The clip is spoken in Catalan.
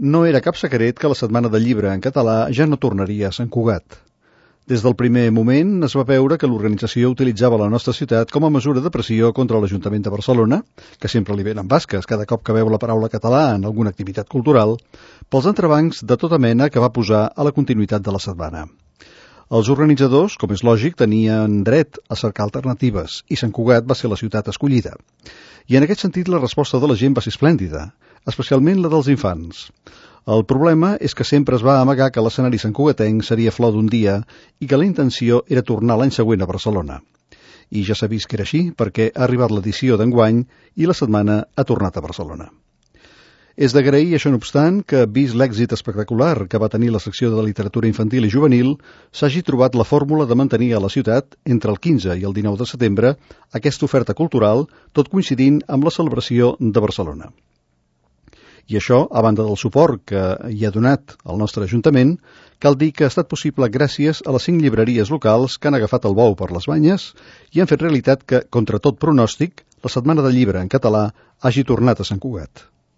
No era cap secret que la Setmana del Llibre en català ja no tornaria a Sant Cugat. Des del primer moment es va veure que l'organització utilitzava la nostra ciutat com a mesura de pressió contra l'Ajuntament de Barcelona, que sempre li venen basques cada cop que veu la paraula català en alguna activitat cultural, pels entrebancs de tota mena que va posar a la continuïtat de la setmana. Els organitzadors, com és lògic, tenien dret a cercar alternatives i Sant Cugat va ser la ciutat escollida. I en aquest sentit la resposta de la gent va ser esplèndida, especialment la dels infants. El problema és que sempre es va amagar que l'escenari santcugatenc seria flor d'un dia i que la intenció era tornar l'any següent a Barcelona. I ja s'ha vist que era així perquè ha arribat l'edició d'enguany i la setmana ha tornat a Barcelona. És d'agrair, això no obstant, que, vist l'èxit espectacular que va tenir la secció de literatura infantil i juvenil, s'hagi trobat la fórmula de mantenir a la ciutat, entre el 15 i el 19 de setembre, aquesta oferta cultural, tot coincidint amb la celebració de Barcelona. I això, a banda del suport que hi ha donat el nostre Ajuntament, cal dir que ha estat possible gràcies a les 5 llibreries locals que han agafat el bou per les banyes i han fet realitat que, contra tot pronòstic, la Setmana del Llibre en català hagi tornat a Sant Cugat.